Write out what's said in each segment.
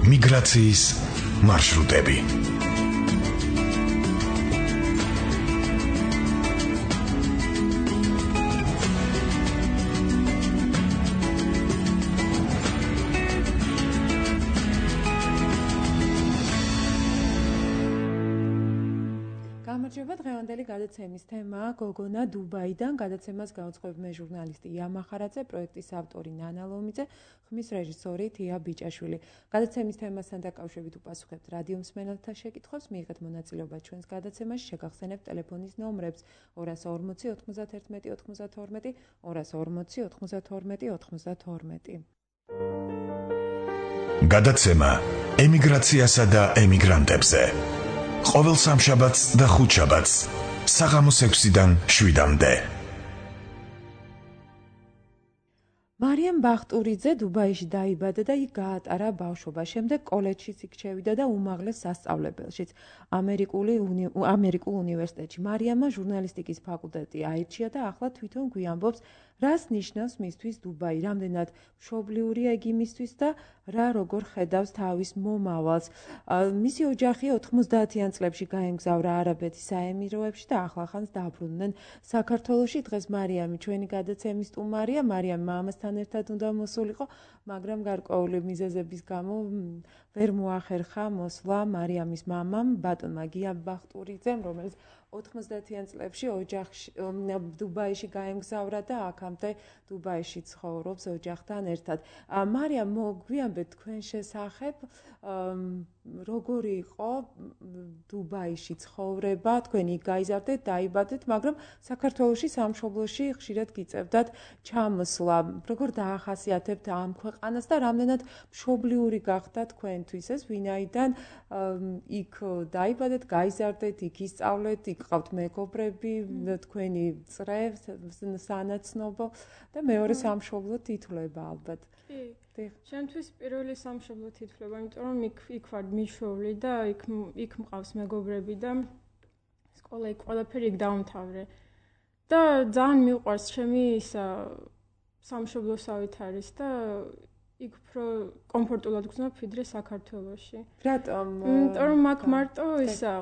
მიგრაციის მარშრუტები. გამარჯობა, დღევანდელი გადაცემის თემაა გოგონა დუბაიდან. გადაცემას გაუძღვებენ ჟურნალისტი ია მახარაძე, პროექტის ავტორი ნანა ლომიძე, ხმის რეჟისორი თია ბიჭაშვილი. გადაცემის თემასთან დაკავშირებით უპასუხებთ რადიო მსმენელთა შეკითხვებს, მიიღეთ მონაწილეობა ჩვენს გადაცემაში, შეგახსენებთ ტელეფონის ნომრებს 240 91 92 240 92 92. გადაცემა ემიგრაციასა და ემიგრანტებზე. ყოველ სამშაბათს და ხუთშაბათს საღამოს 6-დან 7-მდე. მარიამ ბახტურიძე დუბაიში დაიბადა და იქ გაატარა ბავშვობა. შემდეგ კოლეჯშიც იქ შევიდა და უმაღლეს სასწავლებელშიც ამერიკულ უნივერსიტეტში. მარიამმა ჟურნალისტიკის ფაკულტეტი აირჩია და ახლა თვითონ გვიამბობს, რას ნიშნავს მისთვის დუბაი, რამდენად მშობლიურია იგი მისთვის და რა როგორ ხედავს თავის მომავალს. მისი ოჯახი 90-იან წლებში გაემგზავრა არაბეთის საემიროებში და ახლა-ახანს დაბრუნდნენ საქართველოში. დღეს მარიამი ჩვენი გადაცემის სტუმარია. მარიამ მამასთან ერთად უნდა მოსულიყო, მაგრამ გარკვეული მიზეზების გამო ვერ მოახერხა მოსვლა მარიამის მამამ, ბატონმა გია ბახტურიძემ, რომელიც 90-იან წლებში ოჯახში დუბაიში გაემგზავრა და აქამდე დუბაიში ცხოვრობს ოჯახთან ერთად. მარიამ, მოგვიანებით თქვენ შესახებ, როგორი იყო დუბაიში ცხოვრება, თქვენ იქ გაიზარდეთ, დაიბადეთ, მაგრამ საქართველოში სამშობლოში ხშირად გიწევდათ ჩამოსვლა. როგორ დაახასიათებთ ამ ქვეყანას და რამდენად მშობლიური გახდა თქვენთვის ეს, ვინაიდან იქ დაიბადეთ, გაიზარდეთ, იქ ისწავლეთ, იქ ყავთ მეგობრები, თქვენი წრე, სანაცნობო და მეორე სამშობლო თითვლება ალბათ. კი. ჩემთვის პირველი სამშობლო თითვლება, იმიტომ რომ იქ ვარ მიშვეული და იქ მყავს მეგობრები და სკოლა იქ ყველაფერი იქ დავამთავრე. და ძალიან მიყვარს ჩემი სამშობლოსავით არის და იქ უფრო კომფორტულად გრძნობ ვიდრე საქართველოში. რატომ? იმიტომ რომ აქ მარტო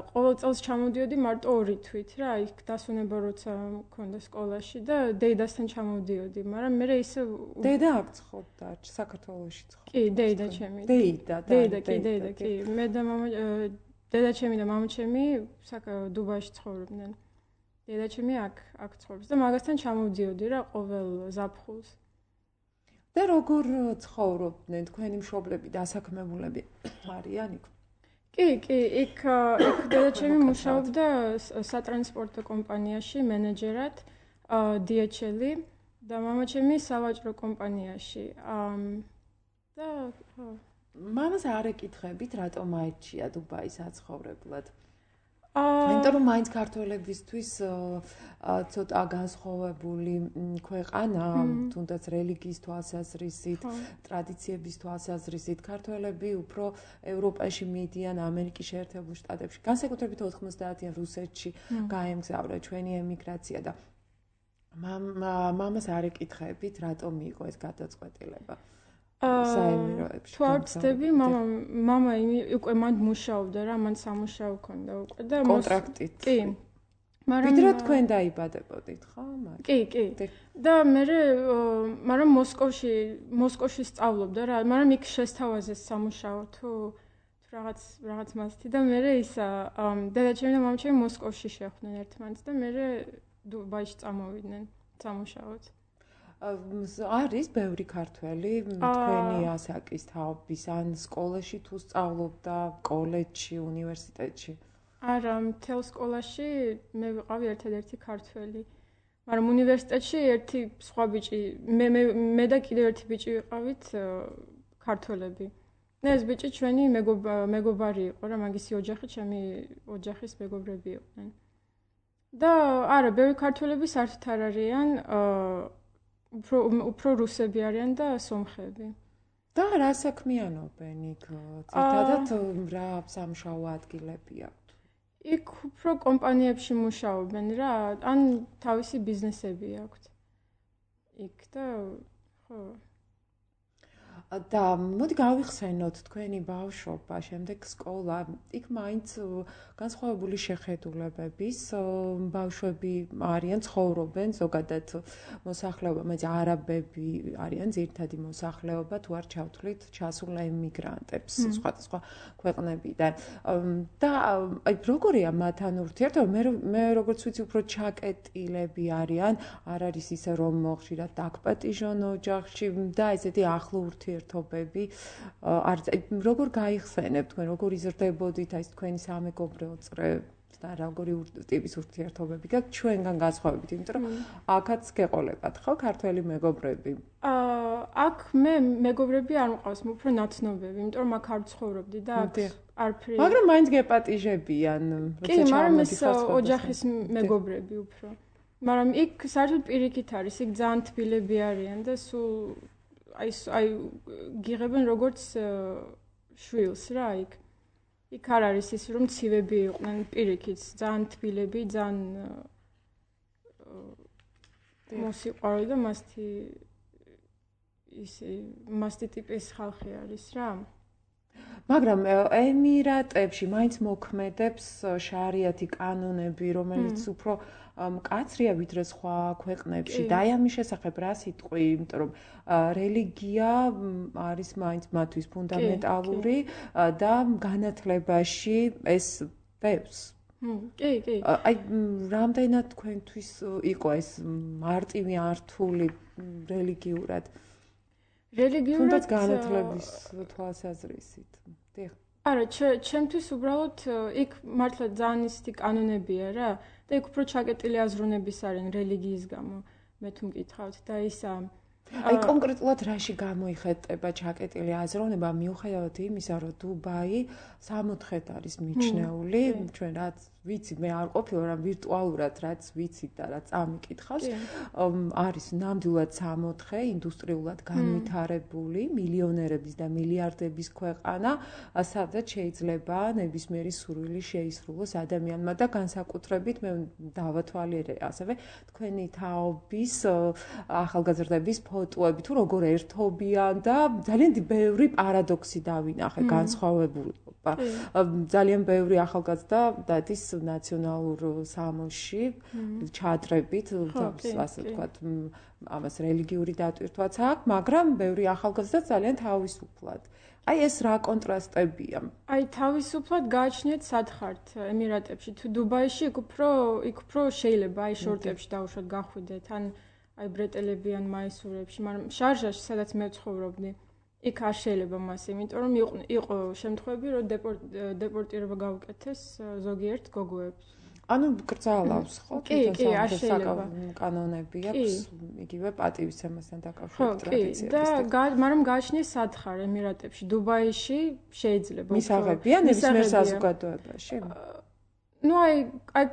ყოველ წელს ჩამოვდიოდი მარტო 2 თვით რა, იქ დასვენება როცა მქონდა სკოლაში და დედასთან ჩამოვდიოდი, მაგრამ მე ისე დედა აქ ცხოვრობდა, საქართველოში ცხოვრობდა. კი, დედა ჩემი. დედა, კი. მე და მამა, დედა ჩემი და მამა ჩემი დუბაიში ცხოვრობდნენ. დედა ჩემი აქ ცხოვრობს და მაგასთან ჩამოვდიოდი რა ყოველ ზაფხულს. და როგორ ცხოვრობდნენ თქვენი მშობლები, დასაქმებულები არიან იქ? კი, იქ დედა ჩემი მუშაობდა სატრანსპორტო კომპანიაში მენეჯერად, DHL-ი და მამა ჩემი სავაჭრო კომპანიაში. და მამას არ ეკითხებით, რატომ აირჩია დუბაი საცხოვრებლად? იმიტომ რომ მაინც ქართველებისთვის ცოტა განსხვავებული ქვეყანა, თუნდაც რელიგიის თვალსაზრისით, ტრადიციების თვალსაზრისით, ქართველები უფრო ევროპაში მიდიან, ამერიკის შეერთებულ შტატებში, განსაკუთრებით 90-იან რუსეთში გაემგზავრა ჩვენი ემიგრაცია და მამას არ ეკითხებით, რატომ მიიღო ეს გადაწყვეტილება? საემიროებში. თუ არ ვცდები, მამა უკვე მან მუშაობდა რა, მან სამუშაო ჰქონდა უკვე და კონტრაქტით. კი. ვიდრე თქვენ დაიბადებოდით, ხო? კი. და მაგრამ მოსკოვში სწავლობდა რა, მაგრამ იქ შესთავაზეს სამუშაო თუ რაღაც მასთი და მე დედა ჩემი და მამა ჩემი მოსკოვში შეხვდნენ ერთმანეთს და მე დუბაიში წამოვიდნენ სამუშაოდ. არის ბევრი ქართველი თქვენი ასაკის თაობის ან სკოლაში თუ სწავლობდა, კოლეჯში, უნივერსიტეტში? არა, მთელ სკოლაში მე ვიყავი ერთადერთი ქართველი. მაგრამ უნივერსიტეტში ერთი სხვა ბიჭი, მე და კიდევ ერთი ბიჭი ვიყავით ქართველები. და ეს ბიჭი ჩვენი მეგობარი იყო რა, მაგისი ოჯახი ჩემი ოჯახის მეგობრები იყვნენ. და არა, ბევრი ქართველები საერთოდ არ არიან, უფრო რუსები არიან და სომხები. და რა საქმიანობენ იქ? ძირითადად რა სამუშაო ადგილები აქვთ? იქ უფრო კომპანიებში მუშაობენ რა, ან თავისი ბიზნესები აქვთ. იქ და ხო. და მოდი გავიხსენოთ თქვენი ბავშვობა, შემდეგ სკოლა, იქ მაინც განსხვავებული შეხედულებების ბავშვები არიან, ცხოვრობენ, ზოგადად მოსახლეობა, მაგრამ არაბები არიან ძირითადი მოსახლეობა, თუ არ ჩავთვლით ჩასულ ემიგრანტებს სხვადასხვა ქვეყნებიდან. და აი როგორია მათთან ურთიერთობა? მე როგორც ვიცი, უფრო ჩაკეტილები არიან, არ არის ისე რომ ხშირად დაგპატიჟონ ოჯახში და ესეთი ახლო ურთიერთობები როგორ გაიხსენებთ თქვენ, როგორ იზრდებოდით აი თქვენი სამეგობრო წრე და როგორი ტიპის ურთიერთობები გაქვთ ჩვენგან განსხვავებით, იმიტომ რომ აქაც გეყოლებათ ხო ქართველი მეგობრები? აქ მე მეგობრები არ მყავს, უფრო ნაცნობები, იმიტომ რომ აქ არ ცხოვრობდი და აქ არაფერი. მაგრამ მაინც გეპატიჟებიან, როცა ჩამოვიდეთ ოჯახის მეგობრები უფრო. მაგრამ იქ საერთოდ პირიქით არის, იქ ძალიან თბილები არიან და სულ აი გიღებენ როგორც შვილს რა იქ. იქ არ არის ის რომ ცივები იყვნენ პირიქით, ძალიან თბილები, ძალიან მოსიყვარულე და მასტი ტიპის ხალხი არის რა. მაგრამ ემირატებში მაინც მოქმედებს შარიათი კანონები, რომელიც უფრო მკაცრია ვიდრე სხვა ქვეყნებში. და აი ამის შესახებ რა სიტყვი, იმიტომ რომ რელიგია არის მაინც მათთვის ფუნდამენტალური და განათლებაში ეს ბევრს. კი. აი რამდენად თქვენთვის იყო ეს მარტივი ართული რელიგიურად? თუნდაც განათლების თვალსაზრისით. დიახ. არა, ჩემთვის უბრალოდ იქ მართლა ძალიან ისეთი კანონებია რა და იქ უფრო ჩაკეტილი აზროვნების არიან რელიგიის გამო, მე თუ მკითხავთ და ისა აი კონკრეტულად რაში გამოიხატება ჩაკეტილი აზროვნება მიუხედავად იმისა, რომ დუბაი 64-ით არის მიჩნეული, ჩვენ რაც ვიცი, მე არ ყოფილი, მაგრამ ვირტუალურად რაც ვიცით და რაც ამიკითხავს, არის ნამდვილად 64 ინდუსტრიულად განვითარებული მილიონერების და მილიარდების ქვეყანა, სადაც შეიძლება ნებისმიერი სურვილი შეისრულოს ადამიანმა და განსაკუთრებით მე დავათვალიერე ასევე თქვენი თაობის ახალგაზრდების ფოტოები თუ როგორ ერთობიან და ძალიან ბევრი პარადოქსი დავინახე, განსხვავებულობა. ძალიან ბევრი ახალგაზრდა დადის ნაციონალურ სამოსში ჩადრებით, ასე ვთქვათ, ამას რელიგიური დატვირთვაც აქვს, მაგრამ ბევრი ახალგაზრდა ძალიან თავისუფლად. აი ეს რა კონტრასტებია? აი თავისუფლად გააჩნიათ სათხართ ემირატებში, თუ დუბაიში იქ უფრო შეიძლება აი შორტებში დაუშვათ გახვიდეთ, ან აი ბრეტელებიან მაისურებში, მაგრამ შარჟაში, სადაც მე ვცხოვრობდი, იქ არ შეიძლება მას, იმიტომ რომ იყო შემთხვევები, რომ დეპორტირება გაუკეთეს ზოგიერთ გოგოებს. ანუ კრძალავს ხო? კი, არ შეიძლება. კანონები აქვს, იგივე პატივისცემასთან დაკავშირებით ტრადიციების. და მაგრამ გააჩნიეს სათხარ ემირატებში, დუბაიში შეიძლება. მისაღებია ნებისმიერ საზოგადოებაში? ну აი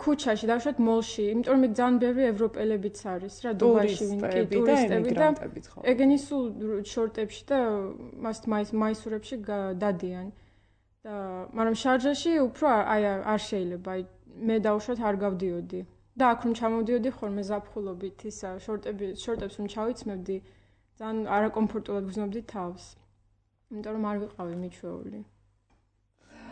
ქუჩაში დავშვათ მოლში, იმიტომ რომ იქ ძალიან ბევრი ევროპელებიც არის რა დუბაიში ვინკი ტურისტები და ეგენი სულ შორტებში და მაისურებში დადიან. და მაგრამ შარჯაში უფრო არ შეიძლება, აი მე დავშვათ არ გავდიოდი. და აქ რომ ჩამოვდიოდი ხოლმე ზაფხულობით ისა შორტებს რომ ჩავიცმევდი, ძალიან არაკომფორტულად გრძნობდი თავს. იმიტომ რომ არ ვიყავი მიჩვეული.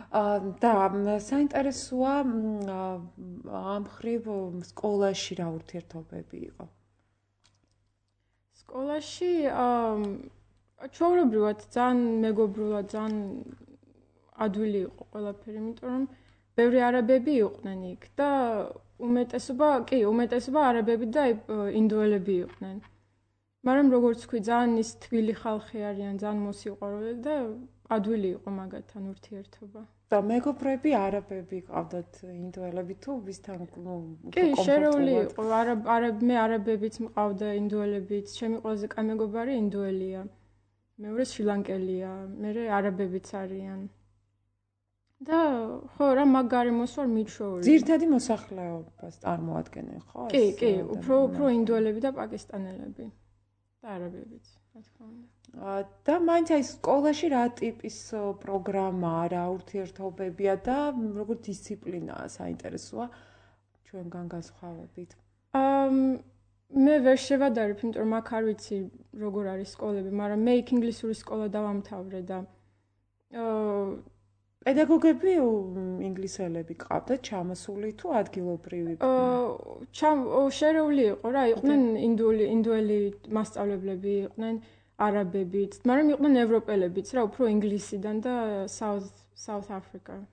და საინტერესოა ამ ხრივ სკოლაში რა ურთიერთობები იყო? სკოლაში ჩვეულებრივად ძალიან მეგობრულად, ძალიან ადვილი იყო ყველაფერი, იმიტომ რომ ბევრი არაბები იყვნენ იქ და უმეტესობა არაბები და ინდოელები იყვნენ. მაგრამ როგორც ვქვი, ძალიან ის თბილი ხალხი არიან, ძალიან მოსიყვარულე და ადვილი იყო მაგათთან ურთიერთობა. და მეგობრები არაბები ყავდათ ინდოელები თუ ვისთან კი, შერეული იყო. მე არაბებიც მყავდა, ინდოელებიც. ჩემი ყველაზე კაი მეგობარი ინდოელია. მეორე შრი-ლანკელია, მერე არაბებიც არიან. და ხო, რა მაგარიმოს ვარ მიჩვეული. ძირითადი მოსახლეობას წარმოადგენენ, ხო? კი, უფრო ინდოელები და პაკისტანელები. და არაბებიც, რა თქმა უნდა. და მაინც აი სკოლაში რა ტიპის პროგრამაა, რა ურთიერთობებია და როგორ დისციპლინაა საინტერესოა ჩვენგან განსხვავებით? მე ვერ შევადარებ, იმიტომ რომ აქ არ ვიცი როგორ არის სკოლები, მაგრამ მე იქ ინგლისური სკოლა დავამთავრე და პედაგოგები ინგლისელები ყავდათ ჩამოსული თუ ადგილობრივი? შერეული იყო რა, იყვნენ ინდუელი მასწავლებლები, იყვნენ არაბებიც, მაგრამ იყვნენ ევროპელებიც რა, უფრო ინგლისიდან და South Africa.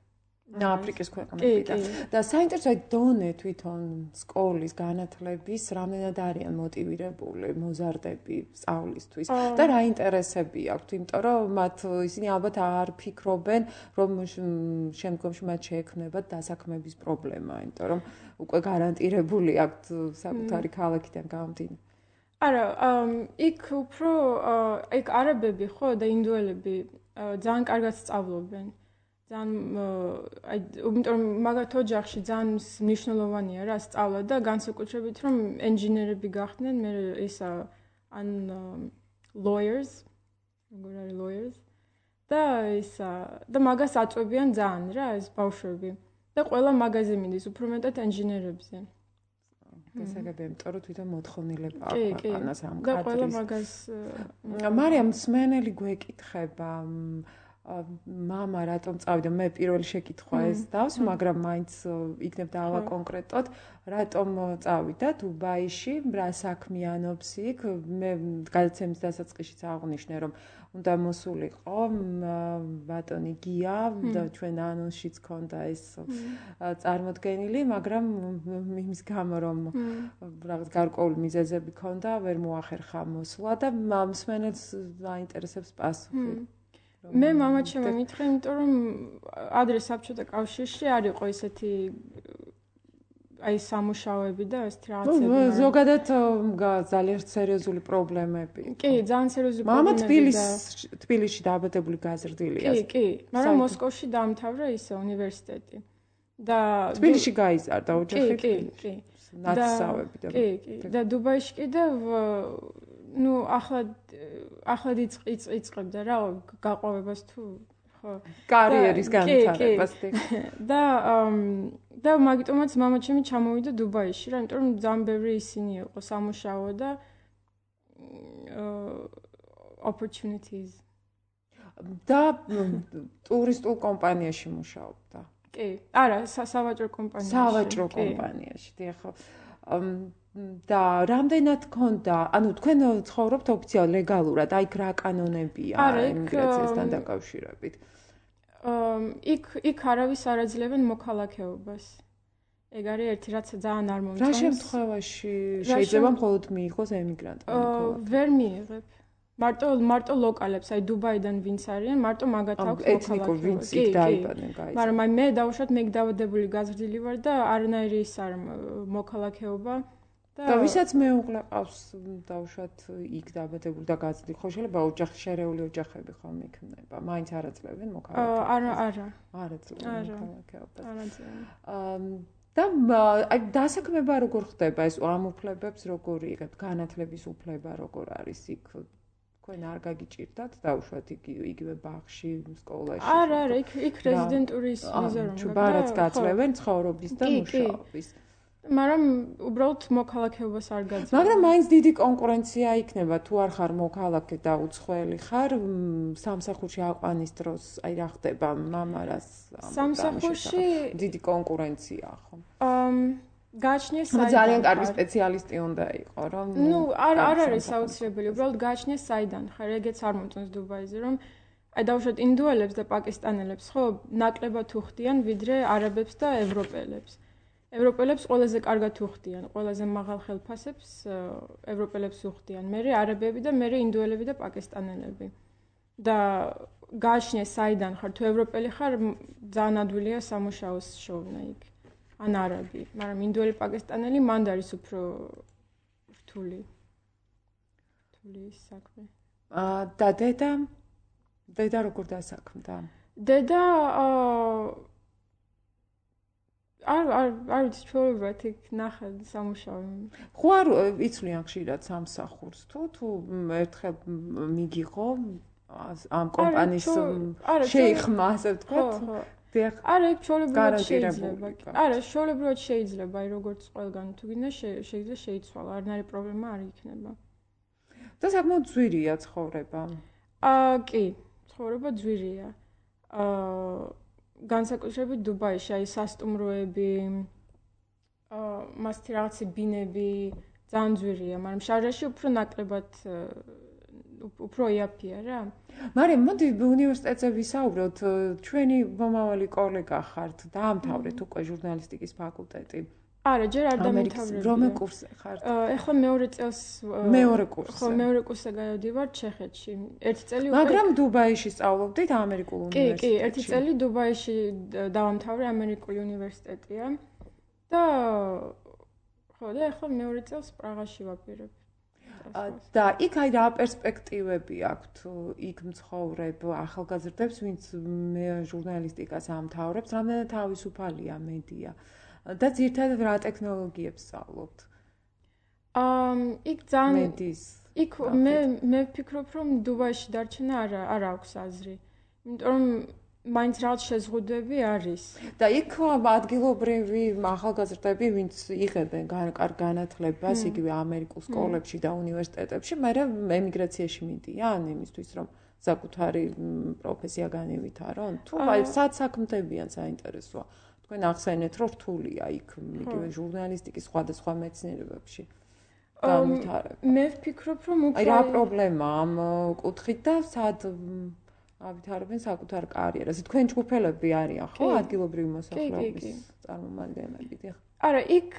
აფრიკის ქვეყნებიდან. და საინტერესოა დონე თვითონ სკოლის განათლების რამდენად არიან მოტივირებული მოზარდები სწავლისთვის და რა ინტერესები აქვთ, იმიტომ რომ მათ ისინი ალბათ არ ფიქრობენ, რომ შემდგომში მათ შეექმნებათ დასაქმების პრობლემა, იმიტომ რომ უკვე გარანტირებული აქვთ საკუთარი ქალაქიდან გამომდინარე. არა, იქ უფრო იქ არაბები ხო და ინდუელები ძალიან კარგად სწავლობენ. ძალიან იმიტომ მაგათ ოჯახში ძალიან მნიშვნელოვანია რა სწავლა და განსაკუთრებით რომ ინჟინერები გახდნენ, მე ისა ან lawyers, როგორ არის lawyers და ისა და მაგას აწვევიან ძალიან რა ეს ბავშვები და ყველა მაგაზე მიდის უფრო მეტად ინჟინერებზე. გასაგებია, იმიტომ რომ თვითონ მოთხოვნილება აქვს ქვეყანას ამ კადრის. და ყველა მაგას მარიამ სმენელი გვეკითხება მამა რატომ წავიდა? მე პირველი შეკითხვა ეს დავს, მაგრამ მაინც იქნებ დავა კონკრეტოდ, რატომ წავიდა დუბაიში, რა საქმიანობს იქ? მე გადაცემის დასაწყისშიც აღვნიშნე, რომ უნდა მოსულიყო ბატონი გია და ჩვენ ანონსშიც ქონდა ეს წარმოდგენილი, მაგრამ იმის გამო რომ რაღაც გარკვეული მიზეზები ქონდა, ვერ მოახერხა მოსვლა და მსმენელს აინტერესებს პასუხი. მე მამაჩემი მითხრა, იმიტომ რომ ადრე საბჭოთა კავშირში არ იყო ესეთი აი სამუშაოები და ეს რაღაცები. ზოგადად ძალიან სერიოზული პრობლემები. კი, ძალიან სერიოზული პრობლემები. მამა თბილისში დააბადებული გაზრდილია. კი, მაგრამ მოსკოვში დაამთავრა ისე უნივერსიტეტი. და თბილისში გაიზარდა ოჯახი. კი. ნაცსავები და კი, და დუბაიში კიდევ ну ახლად იწყებდა რა გაყვავებას თუ ხო კარიერის განვითარებას და მაგიტომაც მამაჩემი ჩამოვიდა დუბაიში რა, იმიტომ რომ ძალიან ბევრი ისინი იყო სამუშაო და opportunities და ტურისტულ კომპანიაში მუშაობდა. კი, არა, სავაჭრო კომპანიაში. სავაჭრო კომპანიაში, ხო. და რამდენად ქონდა, ანუ თქვენ ცხოვრობთ ოფიციალურად, ლეგალურად, აი რა კანონებია იმიგრაციასთან დაკავშირებით? იქ არავის არ აძლევენ მოქალაქეობას. ეგ არის ერთი რაც ძალიან არ მომწონს. რა შემთხვევაში შეიძლება მხოლოდ მიიღოს ემიგრანტმა მოქალაქეობა? ვერ მიიღებ. მარტო ლოკალებს, აი დუბაიდან ვინც არიან, მარტო მაგათ აქვს მოქალაქეობა. ეთნიკურ ვინც იქ დაიბადნენ, გაიზარდნენ. მაგრამ აი მე დავუშვათ მე დავადებული გაზრდილი ვარ და არანაირი ის არ მოქალაქეობა. და ვისაც მეუღლე ყავს დავუშვათ იქ დაბადებული და გაზრდილი, ხო შეიძლება ოჯახი შერეული ოჯახები ხომ იქნება, მაინც არ აძლევენ მოქალაქეობას. არა. არ აძლევენ მოქალაქეობას. არ აძლევენ. და აი დასაქმება როგორ ხდება ეს ამ უფლებებს როგორი იქ განათლების უფლება როგორ არის იქ? თქვენ არ გაგიჭირდათ დავუშვათ იგივე ბაღში, სკოლაში? არა, იქ რეზიდენტურის ვიზა რომ ბარათს გაძლევენ ცხოვრობის და მუშაობის. მაგრამ უბრალოდ მოქალაქეობას არ გაძლევენ. მაგრამ მაინც დიდი კონკურენცია იქნება, თუ არ ხარ მოქალაქე და უცხოელი ხარ, სამსახურში აყვანის დროს, აი რა ხდება მამარას? სამსახურში დიდი კონკურენცია ხო? გააჩნიეს ძალიან კარგი სპეციალისტი უნდა იყო, რომ არ არის აუცილებელი, უბრალოდ გააჩნიეს საიდან ხარ, ეგეც არ მომწონს დუბაიზე, რომ აი დავუშვათ ინდუელებს და პაკისტანელებს, ხო, ნაკლებად უხდიან ვიდრე არაბებს და ევროპელებს. ევროპელებს ყველაზე კარგად უხდიან, ყველაზე მაღალ ხელფასებს ევროპელებს უხდიან, მერე არაბები და მერე ინდუელები და პაკისტანელები. და გააჩნიეს საიდან ხარ, თუ ევროპელი ხარ, ძალიან ადვილია სამუშაოს შოვნა იქ. ან არაბი, მაგრამ ინდუელი პაკისტანელი მანდ არის უფრო რთული საქმე. და დედა როგორ დასაქმდა? დედა არ ვიცი, ჩვეულებრივად იქ ნახა სამუშაო. ხო არ იცვლიან ხშირად სამსახურს თუ ერთხელ მიგიღო ამ კომპანიის შეიხმა, ასე ვთქვათ. არა, ჩვეულებრივად შეიძლება. არა, ჩვეულებრივად შეიძლება, როგორც ყველგან თუ გინდა შეიძლება შეიცვალა, არანაირი პრობლემა არ იქნება. და საკმაოდ ძვირია ცხოვრება. კი, ცხოვრება ძვირია. განსაკუთრებით დუბაიში, აი სასტუმროები, მასთი რაღაცი ბინები ძალიან ძვირია, მაგრამ შარჯაში უფრო ნაკლებად უფრო იაფია რა. მაგრამ მოდი უნივერსიტეტზე ვისაუბროთ, ჩვენი მომავალი კოლეგა ხართ, დაამთავრეთ უკვე ჟურნალისტიკის ფაკულტეტი. არა, ჯერ არ დამთავრებია. რომელ კურსზე ხართ? ეხლა მეორე წელს მეორე კურსზე. ხო, მეორე კურსზე გადავდივარ ჩეხეთში. ერთი წელი უკვე მაგრამ დუბაიში სწავლობდით ამერიკულ უნივერსიტეტში. კი, ერთი წელი დუბაიში დავამთავრე, ამერიკული უნივერსიტეტია. და ხო, და ეხლა მეორე წელს პრაღაში ვაპირებ. და იქ აი რა პერსპექტივები აქვთ იქ მცხოვრებ ახალგაზრდებს, ვინც ჟურნალისტიკას ამთავრებს, რამდენად თავისუფალია მედია და ძირითადად რა ტექნოლოგიებს სწავლობთ? იქ ძალიან მედიის. იქ მე ვფიქრობ, რომ დუბაიში დარჩენა არ აქვს აზრი. იმიტომ რომ მაინც რაღაც შეზღუდვები არის. და იქ ადგილობრივი ახალგაზრდები, ვინც იღებენ კარგ განათლებას, იგივე ამერიკულ სკოლებში და უნივერსიტეტებში, მაგრამ ემიგრაციაში მიდიან იმისთვის, რომ საკუთარი პროფესია განევითარონ. თუ აი საქმდებიან საინტერესოა. თქვენ ახსენეთ, რომ რთულია იქ იგივე ჟურნალისტიკის სხვადასხვა მეცნიერებებში. მე ვფიქრობ, რომ უკვე აი რა პრობლემა ამ კუთხით და სად ავითარებენ საკუთარ კარიერას. თქვენ ჯგუფელები არიან, ხო, ადგილობრივი მოსახლეობის წარმომადგენლები, დიახ. არა, იქ,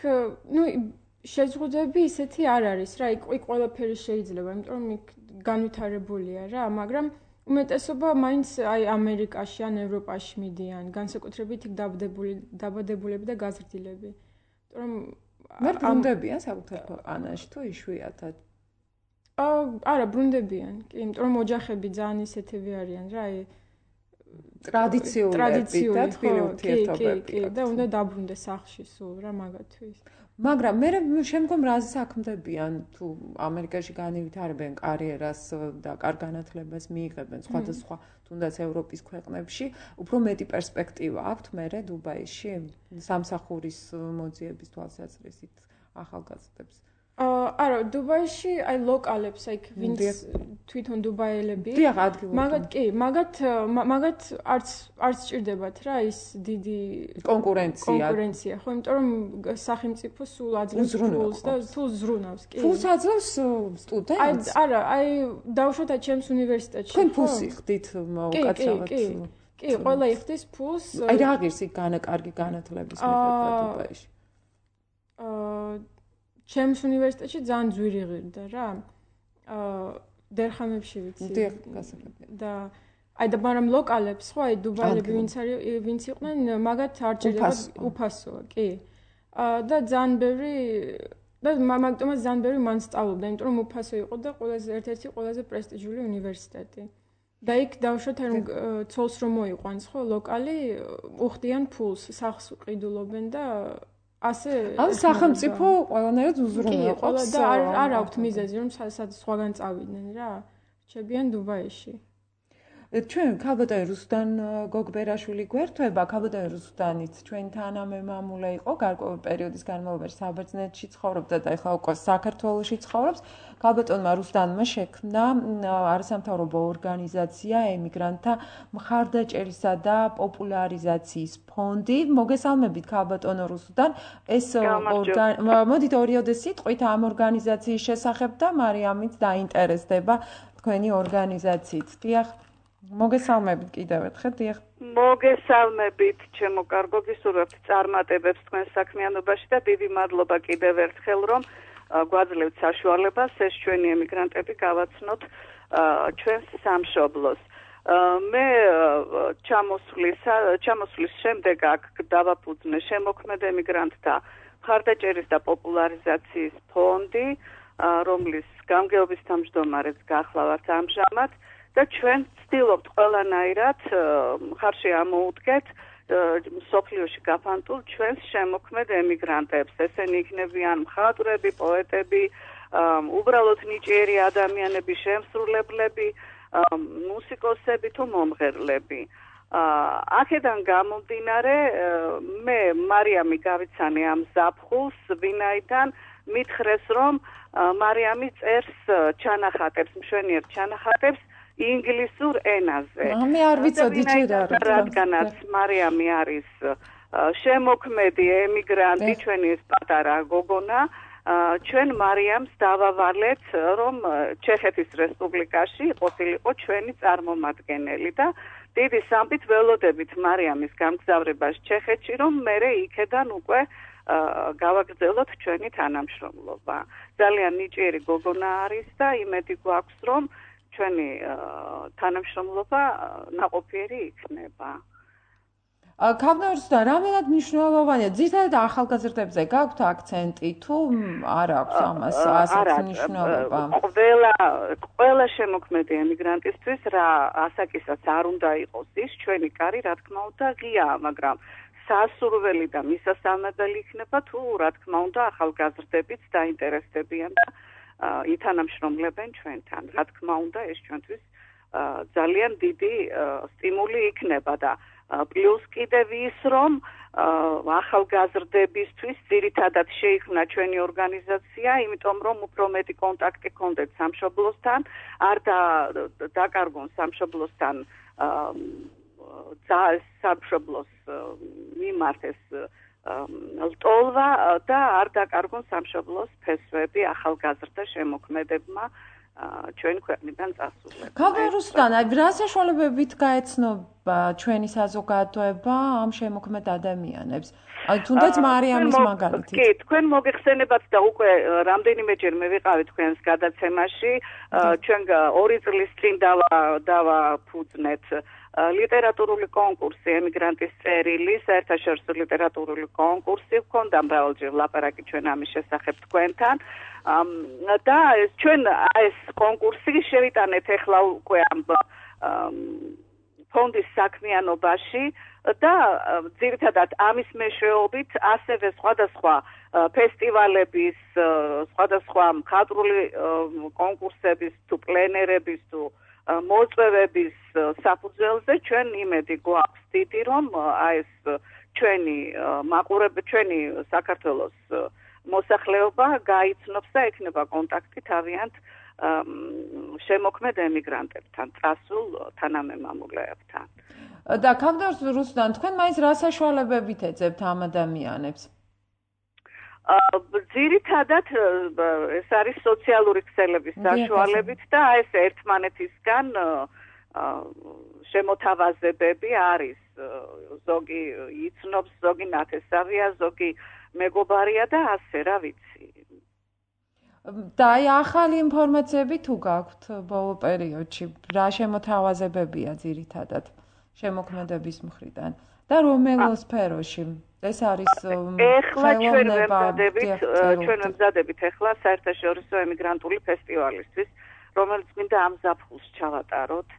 შეზღუდვები ისეთი არ არის რა, იქ ყველაფერი შეიძლება, იმიტომ რომ იქ განვითარებულია რა, მაგრამ უმეტესობა მაინც აი ამერიკაში ან ევროპაში მიდიან, განსაკუთრებით იქ დაბადებულები და გაზრდილები. იმიტომ რომ მე ბრუნდებიან საკუთარ ქვეყანაში თუ იშვიათად? არა, ბრუნდებიან, კი, იმიტომ რომ ოჯახები ძალიან ისეთები არიან რა, აი ტრადიციული და თბილი ურთიერთობები. კი, და უნდა დაბრუნდეს სახლში სულ რა მაგათვის. მაგრამ მე შემდგომ რაზე საქმდებიან თუ ამერიკაში განევითარებენ კარიერას და კარგ განათლებას მიიღებენ სხვადასხვა თუნდაც ევროპის ქვეყნებში, უფრო მეტი პერსპექტივა აქვთ მერე დუბაიში სამსახურის მოძიების თვალსაზრისით ახალგაზრდებს. არა, დუბაიში აი ლოკალებს, აი ვინც თვითონ დუბაელები. დიახ, ადგილობრივი. მაგათ არც ჭირდებათ რა ის დიდი კონკურენცია, ხო, იმიტომ რომ სახელმწიფო სულ აძლევს ფულს და თუ ზრუნავს, კი. ფულს აძლევს სტუდენტს? არა, აი დავუშვათ ჩემს უნივერსიტეტში. თქვენ ფულს იხდით უკაცრავად? კი, ყველა იხდის ფულს. აი რა ღირს იქ კარგი განათლების მიღება დუბაიში? ჩემს უნივერსიტეტში ძალიან ძვირი ღირდა რა. დერხამებში ვიცი. დიახ, გასაგებია. და აი და მაგრამ ლოკალებს ხო, აი დუბაილები ვინც იყვნენ, მაგათ არ ჭირდებათ უფასოა, კი. და ძალიან ბევრი და მაგიტომაც ძალიან ბევრი მან სწავლობდა, იმიტომ რომ უფასო იყო და ერთ-ერთი ყველაზე პრესტიჟული უნივერსიტეტი. და იქ დავუშვათ რომ ცოლს რომ მოიყვანს ხო, ლოკალი უხდიან ფულს, სახლს ყიდულობენ და ასე ამ სახელმწიფო ყველანაირად უზრუნველყოფს და არ აქვთ მიზეზი რომ სხვაგან წავიდნენ რა. რჩებიან დუბაიში. ჩვენ ქალბატონი რუსუდან გოგბერაშვილი გვერდება, ქალბატონი რუსუდანიც ჩვენი თანამემამულე იყო გარკვეული პერიოდის განმავლობაში საბერძნეთში ცხოვრობდა და ეხლა უკვე საქართველოში ცხოვრობს. ქალბატონმა რუსუდანმა შექმნა არასამთავრობო ორგანიზაცია ემიგრანტთა მხარდაჭერისა და პოპულარიზაციის ფონდი. მოგესალმებით ქალბატონო რუსუდან. ეს მოდით ორიოდე სიტყვით ამ ორგანიზაციის შესახებ და მარიამიც დაინტერესდება თქვენი ორგანიზაციით. დიახ. მოგესალმებით კიდევ ერთხელ, დიახ. მოგესალმებით, ჩემო კარგო, გისურვებთ წარმატებებს თქვენ საქმიანობაში და დიდი მადლობა კიდევ ერთხელ, რომ გვაძლევთ საშუალებას ეს ჩვენი ემიგრანტები გავაცნოთ ჩვენს სამშობლოს. მე ჩამოსვლის შემდეგ აქ დავაფუძნე შემოქმედ ემიგრანტთა მხარდაჭერის და პოპულარიზაციის ფონდი, რომლის გამგეობის თავმჯდომარეც გახლავართ ამჟამად. და ჩვენ ვცდილობთ ყველანაირად მხარში ამოუდგეთ მსოფლიოში გაფანტულ ჩვენს შემოქმედ ემიგრანტებს. ესენი იქნებიან მხატვრები, პოეტები, უბრალოდ ნიჭიერი ადამიანები, შემსრულებლები, მუსიკოსები თუ მომღერლები. აქედან გამომდინარე მე მარიამი გავიცანე ამ ზაფხულს, ვინაიდან მითხრეს რომ მარიამი წერს ჩანახატებს, მშვენიერ ჩანახატებს ინგლისურ ენაზე. მე არ ვიცოდი ჯერ რადგანაც მარიამი არის შემოქმედი ემიგრანტი, ჩვენი ეს პატარა გოგონა, ჩვენ მარიამს დავავალეთ, რომ ჩეხეთის რესპუბლიკაში ყოფილიყო ჩვენი წარმომადგენელი და დიდი სამბით ველოდებით მარიამის გამგზავრებას ჩეხეთში, რომ მერე იქედან უკვე გავაგრძელოთ ჩვენი თანამშრომლობა. ძალიან ნიჭიერი გოგონა არის და იმედი გვაქვს, რომ ჩვენი თანამშრომლობა ნაყოფიერი იქნება. ქავდარსთან რამდენად მნიშვნელოვანია? ძირითადად ახალგაზრდებზე გაქვთ აქცენტი თუ არ აქვს ამას ასეთ მნიშვნელობა? ყველა შემოქმედი ემიგრანტისთვის რა ასაკისაც არ უნდა იყოს ის, ჩვენი კარი რა თქმა უნდა ღიაა, მაგრამ სასურველი და მისასალმებელი იქნება თუ რა თქმა უნდა ახალგაზრდებიც დაინტერესდებიან და ითანამშრომლებენ ჩვენთან. რა თქმა უნდა ეს ჩვენთვის ძალიან დიდი სტიმული იქნება და პლუს კიდევ ის რომ ახალგაზრდებისთვის ძირითადად შეიქმნა ჩვენი ორგანიზაცია, იმიტომ რომ უფრო მეტი კონტაქტი ჰქონდეთ სამშობლოსთან, არ დაკარგონ სამშობლოსთან სამშობლოს მიმართ ეს ლტოლვა და არ დაკარგონ სამშობლოს ფესვები ახალგაზრდა შემოქმედებმა ჩვენ ქვეყნიდან წასულებს. ქავდარუსთან, რა საშუალებებით გაეცნობა ჩვენი საზოგადოება ამ შემოქმედ ადამიანებს? აი თუნდაც მარიამის მაგალითით. კი, თქვენ მოგეხსენებათ და უკვე რამდენიმეჯერ მე ვიყავი თქვენს გადაცემაში, ჩვენ 2 წლის წინ დავაფუძნეთ ლიტერატურული კონკურსი ემიგრანტის წერილი, საერთაშორისო ლიტერატურული კონკურსი, ვქონდა მრავალჯერ ლაპარაკი ჩვენ ამის შესახებ თქვენთან. და ჩვენ ეს კონკურსი შევიტანეთ ახლა უკვე ამ ფონდის საქმიანობაში და ძირითადად ამის მეშვეობით ასევე სხვადასხვა ფესტივალების, სხვადასხვა მხატვრული კონკურსების თუ პლენერების თუ მოწვევების საფუძველზე ჩვენ იმედი გვაქვს დიდი, რომ ეს ჩვენი მაყურებელი, ჩვენი საქართველოს მოსახლეობა გაიცნობს და ექნება კონტაქტი თავიანთ შემოქმედ ემიგრანტებთან, წასულ თანამემამულეებთან. და ქავდარუსთან, თქვენ მაინც რა საშუალებებით ეძებთ ამ ადამიანებს? ძირითადად ეს არის სოციალური ქსელების საშუალებით და ეს ერთმანეთისგან შემოთავაზებები არის. ზოგი იცნობს, ზოგი ნათესავია, ზოგი მეგობარია და ასე რა ვიცი. და აი ახალი ინფორმაციები თუ გაქვთ ბოლო პერიოდში, რა შემოთავაზებებია ძირითადად შემოქმედების მხრიდან და რომელ სფეროში? ეს არის ეხლა ჩვენ ვემზადებით ეხლა საერთაშორისო ემიგრანტული ფესტივალისთვის, რომელიც მინდა ამ ზაფხულს ჩავატაროთ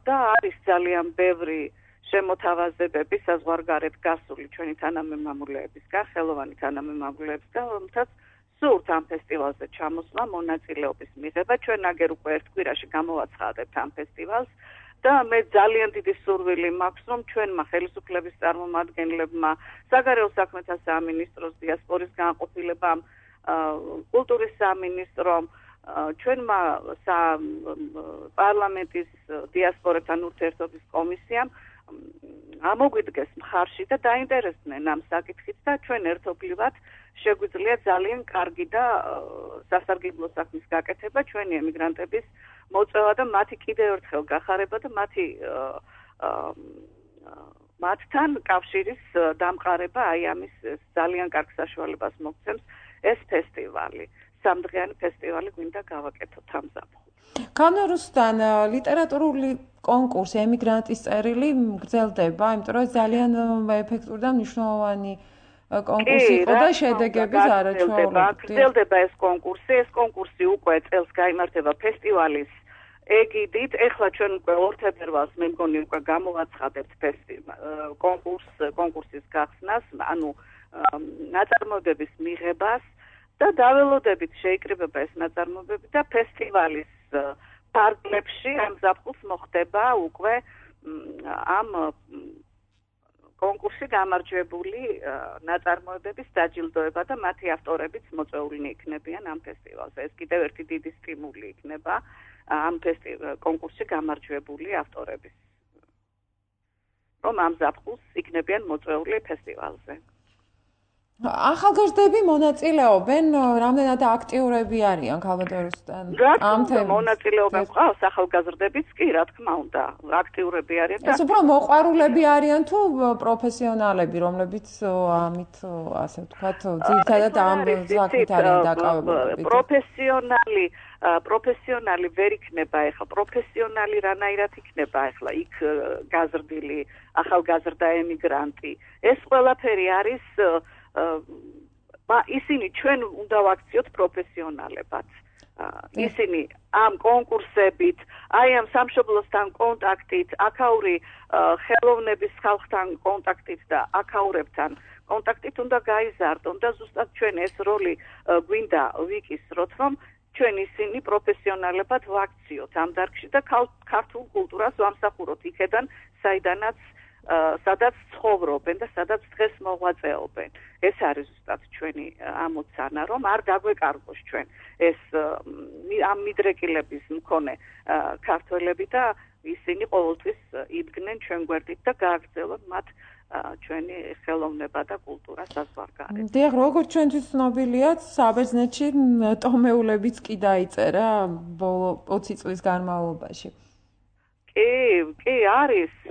და არის ძალიან ბევრი შემოთავაზებები საზღვარგარეთ გასული ჩვენი თანამემამულეებისგან, ხელოვანი თანამემამულეებისგან, რომლითაც სურთ ამ ფესტივალზე ჩამოსვლა, მონაწილეობის მიღება. ჩვენ აგერ უკვე ერთ კვირაში გამოვაცხადებთ ამ ფესტივალს და მე ძალიან დიდი სურვილი მაქვს, რომ ჩვენმა ხელისუფლების წარმომადგენლებმა, საგარეო საქმეთა სამინისტროს, დიასპორის განყოფილებამ, კულტურის სამინისტრომ, ჩვენმა პარლამენტის დიასპორებთან ურთიერთობის კომისიამ ამოგვიდგეს მხარში და დაინტერესდნენ ამ საკითხით და ჩვენ ერთობლივად შეგვიძლია ძალიან კარგი და სასარგებლო საქმის გაკეთება ჩვენი ემიგრანტების მოწვევა და მათი კიდევ ერთხელ გახარება და მათთან კავშირის დამყარება აი ამის ძალიან კარგ საშუალებას მოგცემს ეს ფესტივალი. სამდღიანი ფესტივალი გვინდა გავაკეთოთ ამ ზაფხულს. ქავდარუსთან, ლიტერატურული კონკურსი ემიგრანტის წერილი გრძელდება, იმიტომ რომ ძალიან ეფექტური და მნიშვნელოვანი კონკურსი იყო და შედეგების არაჩვეულებრივი. გრძელდება ეს კონკურსი. ეს კონკურსი უკვე წელს გაიმართება ფესტივალის ეგიდით. ეხლა ჩვენ უკვე 2 თებერვალს მე მგონი უკვე გამოვაცხადებთ კონკურსის გახსნას, ანუ ნაწარმოებების მიღებას და დაველოდებით შეიკრიბება ეს ნაწარმოებები და ფესტივალის ფარგლებში ამ ზაფხულს მოხდება უკვე ამ კონკურსში გამარჯვებული ნაწარმოებების დაჯილდოება და მათი ავტორებიც მოწვეულნი იქნებიან ამ ფესტივალზე. ეს კიდევ ერთი დიდი სტიმული იქნება ამ კონკურსში გამარჯვებული ავტორების, რომ ამ ზაფხულს იქნებიან მოწვეული ფესტივალზე. ახალგაზრდები მონაწილეობენ, რამდენად აქტიურები არიან ქალბატონოსთან? ამ თემაზე მონაწილეობენ ყავს ახალგაზრდებიც კი, რა თქმა უნდა, აქტიურები არიან და ეს უფრო მოყვარულები არიან თუ პროფესიონალები, რომლებიც ამით, ასე ვთქვათ, ძირითადად ამ საქმით არიან დაკავებულები? პროფესიონალი ვერ იქნება ახლა, პროფესიონალი რანაირად იქნება ახლა იქ გაზრდილი ახალგაზრდა ემიგრანტი. ეს ყველაფერი არის ისინი ჩვენ უნდა ვაქციოთ პროფესიონალებად. ისინი ამ კონკურსებით, აი ამ სამშობლოსთან კონტაქტით, აქაური ხელოვნების ხალხთან კონტაქტით და აქაურებთან კონტაქტით უნდა გაიზარდონ და ზუსტად ჩვენ ეს როლი გვინდა ვიკისროთ, რომ ჩვენ ისინი პროფესიონალებად ვაქციოთ ამ დარგში და ქართულ კულტურას ვამსახუროთ იქედან, სადაც ცხოვრობენ და სადაც დღეს მოღვაწეობენ. ეს არის ზუსტად ჩვენი ამოცანა, რომ არ დაგვეკარგოს ჩვენ ეს ამ მიდრეკილების მქონე ქართველები და ისინი ყოველთვის იდგნენ ჩვენ გვერდით და გააგრძელონ მათ ჩვენი ხელოვნება და კულტურა საზღვარგარეთ. დიახ, როგორც ჩვენთვის ცნობილია, საბერძნეთში ტომეულებიც კი დაიწერა ბოლო 20 წლის განმავლობაში.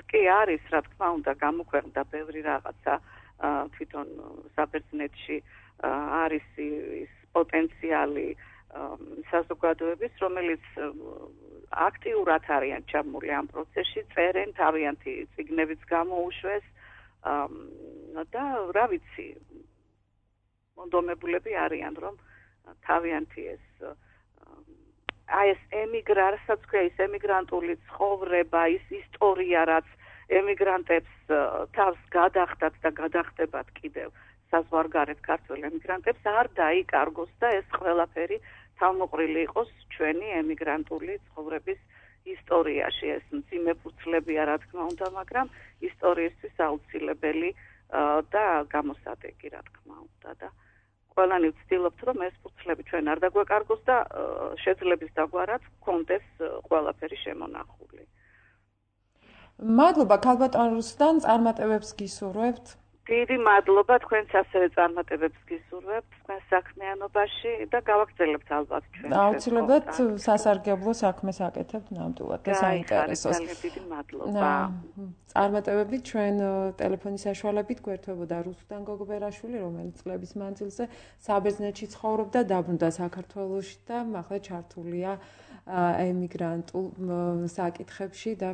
კი არის, რა თქმა უნდა, გამოქვეყნდა ბევრი რაღაცა თვითონ საბერძნეთში არის ის პოტენციალი საზოგადოების, რომელიც აქტიურად არიან ჩაბმული ამ პროცესში, წერენ, თავიანთი წიგნებიც გამოუშვეს და რა ვიცი, მონდომებულები არიან, რომ თავიანთი ეს რასაც ქვია ის ემიგრანტული ცხოვრება, ის ისტორია, რაც ემიგრანტებს თავს გადახდათ და გადახდებათ კიდევ საზღვარგარეთ ქართველ ემიგრანტებს არ დაიკარგოს და ეს ყველაფერი თავმოყრილი იყოს ჩვენი ემიგრანტული ცხოვრების ისტორიაში. ეს მძიმე ფურცლებია, რა თქმა უნდა, მაგრამ ისტორიისთვის აუცილებელი და გამოსადეგი, რა თქმა უნდა და ყველანი ვცდილობთ, რომ ეს ფურცლები ჩვენ არ დაგვეკარგოს და შეძლების დაგვარად გქონდეს ყველაფერი შემონახული. მადლობა ქალბატონ რუსლან, წარმატებებს გისურვებთ. დიდი მადლობა, თქვენც ასევე წარმატებებს გისურვებთ თქვენ საქმიანობაში და გავაგრძელებთ ალბათ ჩვენ. აუცილებლად სასარგებლო საქმეს აკეთებთ ნამდვილად და საინტერესოს. დიდი მადლობა. წარმატებები ჩვენ ტელეფონის საშუალებით გვერდებოდა რუსლან გოგბერაშვილი, რომელიც წლების მანძილზე საბერძნეთში ცხოვრობდა, დაბრუნდა საქართველოში და ახლა ჩართულია ემიგრანტულ საკითხებში და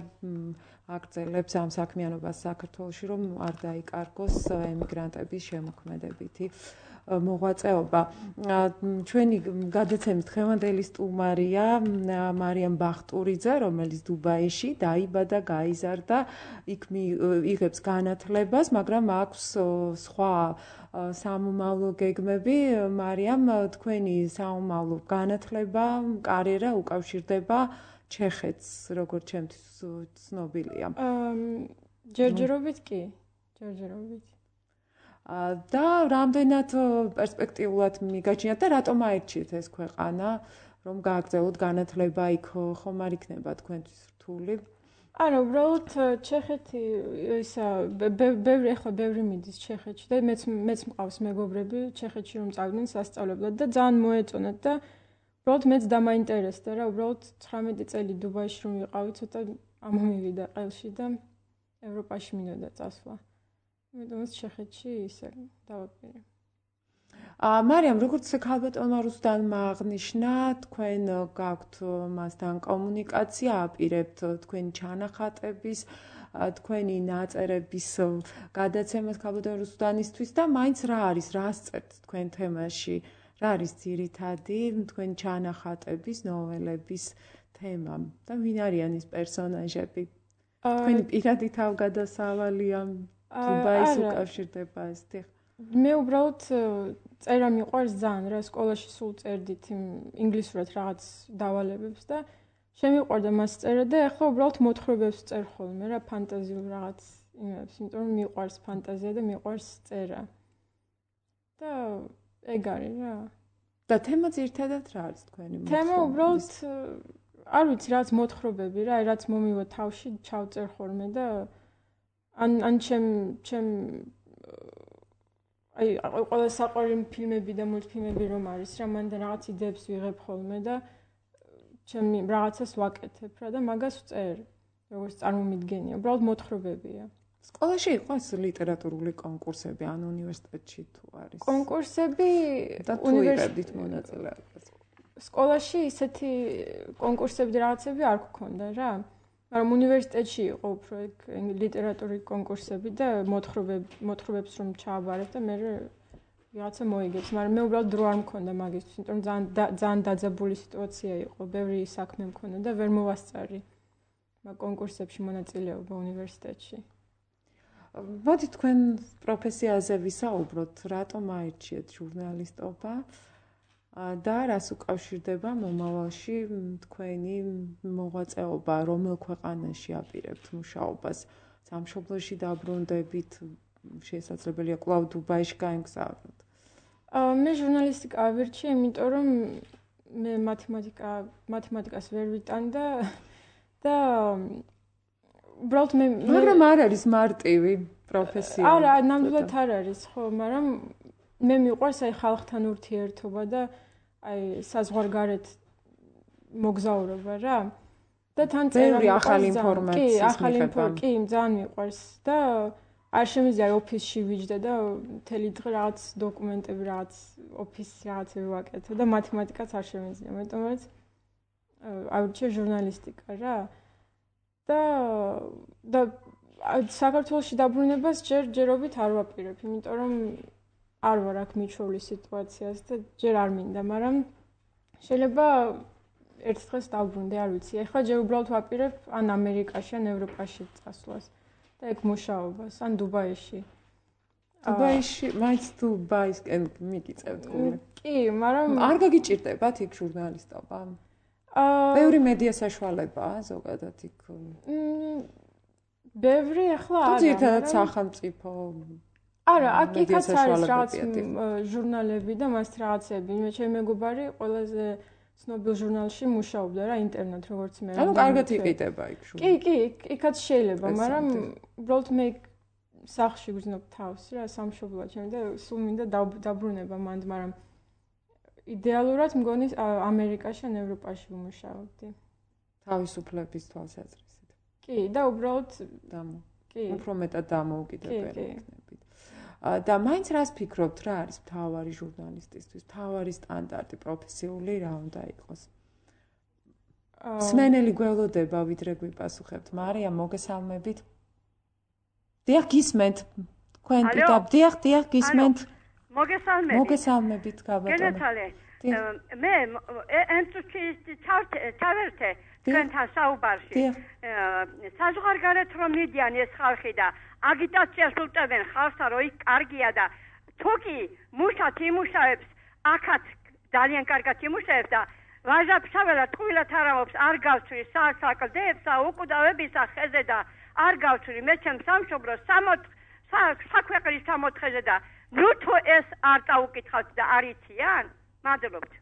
აგრძელებს ამ საქმიანობას საქართველოში, რომ არ დაიკარგოს ემიგრანტების შემოქმედებითი მოღვაწეობა. ჩვენი გადაცემის დღევანდელი სტუმარია მარიამ ბახტურიძე, რომელიც დუბაიში დაიბადა, გაიზარდა, იქ იღებს განათლებას, მაგრამ აქვს სხვა სამომავლო გეგმები. მარიამ, თქვენი სამომავლო განათლება, კარიერა უკავშირდება ჩეხეთს, როგორც ჩემთვის ცნობილია. ჯერჯერობით კი, ჯერჯერობით. და რამდენად პერსპექტიულად მიგაჩნიათ და რატომ აირჩიეთ ეს ქვეყანა, რომ გააგრძელოთ განათლება იქ, ხომ არ იქნება თქვენთვის რთული? არა, უბრალოდ ჩეხეთი ისა ბევრი მიდის ჩეხეთში და მეც მყავს მეგობრები ჩეხეთში რომ წავიდნენ სასწავლებლად და ძალიან მოეწონათ და უბრალოდ მეც დამაინტერესდა რა, უბრალოდ 19 წელი დუბაიში რომ ვიყავი, ცოტა ამომივიდა ყელში და ევროპაში მინდოდა წასვლა. იმიტომ ჩეხეთში ისე დავაპირე. მარიამ, როგორც ქალბატონმა რუსლანმა აღნიშნა, თქვენ გაქვთ მასთან კომუნიკაცია, აპირებთ თქვენი ჩანახატების, თქვენი ნაწერების გადაცემას ქალბატონ რუსლანისთვის და მაინც რა არის, რა სწერთ თქვენ თემაში? რა არის ძირითადი თქვენი ჩანახატების, ნოველების თემა და ვინ არიან ის პერსონაჟები? თქვენი პირადი თავგადასავალი ამ დუბაის უკავშირდება ეს თიხ? მე უბრალოდ წერა მიყვარს ძალიან რა, სკოლაში სულ წერდით ინგლისურად რაღაც დავალებებს და შემიყვარდა მას წერა და ახლა უბრალოდ მოთხრობებს წერ ხოლმე რა ფანტაზიულ რაღაც იმებს, იმიტომ რომ მიყვარს ფანტაზია და მიყვარს წერა. და ეგ არის რა. და თემა ძირითადად რა არის თქვენი მოთხრობების? თემა უბრალოდ არ ვიცი, რაც მოთხრობები რა, რაც მომივა თავში, ჩავწერ ხოლმე და ან ჩემ აი ყველა საყვარელი ფილმები და მულტფილმები რომ არის რა, მან და რაღაც იდეებს ვიღებ ხოლმე და ჩემი რაღაცას ვაკეთებ რა და მაგას ვწერ. როგორც წარმომიდგენია, უბრალოდ მოთხრობებია. სკოლაში იყოს ლიტერატურული კონკურსები ან უნივერსიტეტში თუ არის? კონკურსები და თუ იღებდით მონაწილეობას? სკოლაში ისეთი კონკურსები რაღაცები არ გქონდა რა. მაგრამ უნივერსიტეტში იყო უფრო ლიტერატურული კონკურსები და მოთხრობებს რომ ჩააბარებ და მე რაღაცა მოიგებს, მაგრამ მე უბრალოდ დრო არ მქონდა მაგისთვის, იმიტომ რომ ძალიან დაძაბული სიტუაცია იყო, ბევრი საქმე მქონდა და ვერ მოვასწარი მაგ კონკურსებში მონაწილეობა უნივერსიტეტში. მოდი თქვენ პროფესიაზე ვისაუბროთ, რატომ აირჩიეთ ჟურნალისტობა და რას უკავშირდება მომავალში თქვენი მოღვაწეობა, რომელ ქვეყანაში აპირებთ მუშაობას, სამშობლოში დაბრუნდებით, შესაძლებელია კვლავ დუბაიში გაემგზავროთ. მე ჟურნალისტიკა ავირჩიე, იმიტომ რომ მე მათემატიკას ვერ ვიტანდა და უბრალოდ მაგრამ არ არის მარტივი პროფესია. არა, ნამდვილად არ არის, ხო, მაგრამ მე მიყვარს აი ხალხთან ურთიერთობა და აი საზღვარგარეთ მოგზაურობა რა. და თან ბევრი ახალი ინფორმაციის მიღება. კი, ძალიან მიყვარს და არ შემიძლია ოფისში ვიჯდე და მთელი დღე რაღაც დოკუმენტები, რაღაც ოფისის რაღაცები ვაკეთო და მათემატიკაც არ შემიძლია, მეტყვი ავირჩიე ჟურნალისტიკა რა. და საქართველოში დაბრუნებას ჯერობით არ ვაპირებ, იმიტომ რომ არ ვარ აქ მიჩვეული სიტუაციას და ჯერ არ მინდა, მაგრამ შეიძლება ერთ დღეს დავბრუნდე, არ ვიცი. ეხლა ჯერ უბრალოდ ვაპირებ ან ამერიკაში, ან ევროპაში წასვლას და ეგ მუშაობას, ან დუბაიში. დუბაიში, მაინც დუბაისკენ მიგიწევთ გული. კი, მაგრამ არ გაგიჭირდებათ იქ ჟურნალისტობა? ბევრი მედია საშუალებაა ზოგადად იქ. ბევრი ახლა არა. ძირითადად სახელმწიფო. არა, აქაც არის რაღაც ჟურნალები და მას რაღაცები. მე ჩემი მეგობარი ყველაზე ცნობილ ჟურნალში მუშაობდა რა, ინტერნეტ როგორც მე. ანუ კარგად იყიდება იქ ჟურნალი. კი, იქაც შეიძლება, მაგრამ უბრალოდ მე სახლში ვგრძნობ თავს რა, სამშობლოა ჩემი და სულ მინდა დაბრუნება მანდ, მაგრამ იდეალურად მგონი ამერიკაში ან ევროპაში ვმუშაობდი. თავისუფლების თვალსაზრისით. კი, და უბრალოდ კი, უფრო მეტად დამოუკიდებელი იქნებით. და მაინც რას ფიქრობთ, რა არის მთავარი ჟურნალისტისთვის, მთავარი სტანდარტი პროფესიული რა უნდა იყოს? სმენელი გველოდება ვიდრე გვიპასუხებთ. მარია, მოგესალმებით. დიახ, გისმენთ. თქვენ დიახ, გისმენთ. მოგესალმებით, გაბატონო. გენეთალე, მე ენთუსიასტი ჩავერთე თქვენთან საუბარში. საზღვარგარეთ რომ მიდიან ეს ხალხი და აგიტაციას უტევენ ხალხსა, რომ იქ კარგია და თუკი მუშად იმუშავებს, აქაც ძალიან კარგად იმუშავებს და ვაჟაფშაველად ტყუილად არამობს, არ გავცვი საკლდებსა, უკვდავებისა ხეზე და არ გავცვი მე ჩემ სამშობლოს საქვეყრის 60-ზე და ნუ თუ ეს არ წაუკითხავთ და არ იციან? მადლობთ.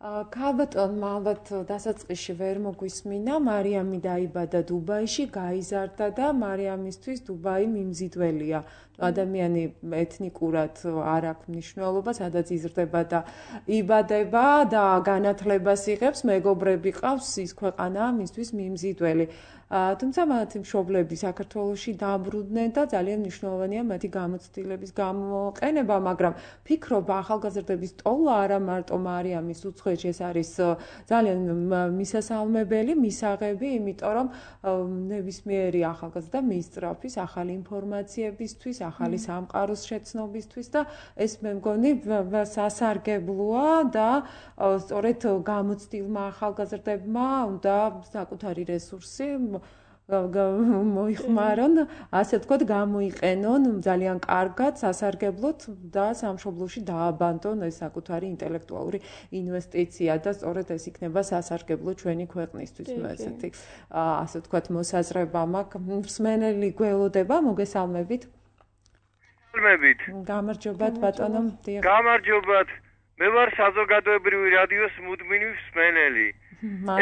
ქალბატონმა ალბათ დასაწყისში ვერ მოგვისმინა, მარიამი დაიბადა დუბაიში, გაიზარდა და მარიამისთვის დუბაი მიმზიდველია. ადამიანი ეთნიკურად არ აქვს მნიშვნელობა, სადაც იზრდება და იბადება და განათლებას იღებს, მეგობრები ყავს, ის ქვეყანაა მისთვის მიმზიდველი. თუმცა მათი მშობლები საქართველოში დაბრუნდნენ და ძალიან მნიშვნელოვანია მათი გამოცდილების გამოყენება, მაგრამ ფიქრობა ახალგაზრდების ტოლა არა მარტო მარიამის უცხოეთში, ეს არის ძალიან მისასალმებელი, მისაღები, იმიტომ რომ ნებისმიერი ახალგაზრდა მისწრაფის ახალი ინფორმაციებისთვის, ახალი სამყაროს შეცნობისთვის და ეს მე მგონი სასარგებლოა და სწორედ გამოცდილმა ახალგაზრდებმა უნდა საკუთარი რესურსი მოიხმარონ, ასე ვთქვათ, გამოიყენონ ძალიან კარგად სასარგებლოდ და სამშობლოში დააბანდონ ეს საკუთარი ინტელექტუალური ინვესტიცია და სწორედ ეს იქნება სასარგებლო ჩვენი ქვეყნისთვის. ესეთი ასე ვთქვათ, მოსაზრება მაქვს. მსმენელი გველოდება, მოგესალმებით. გამარჯობათ ბატონო. გამარჯობათ. მე ვარ საზოგადოებრივი რადიოს მუდმივი მსმენელი.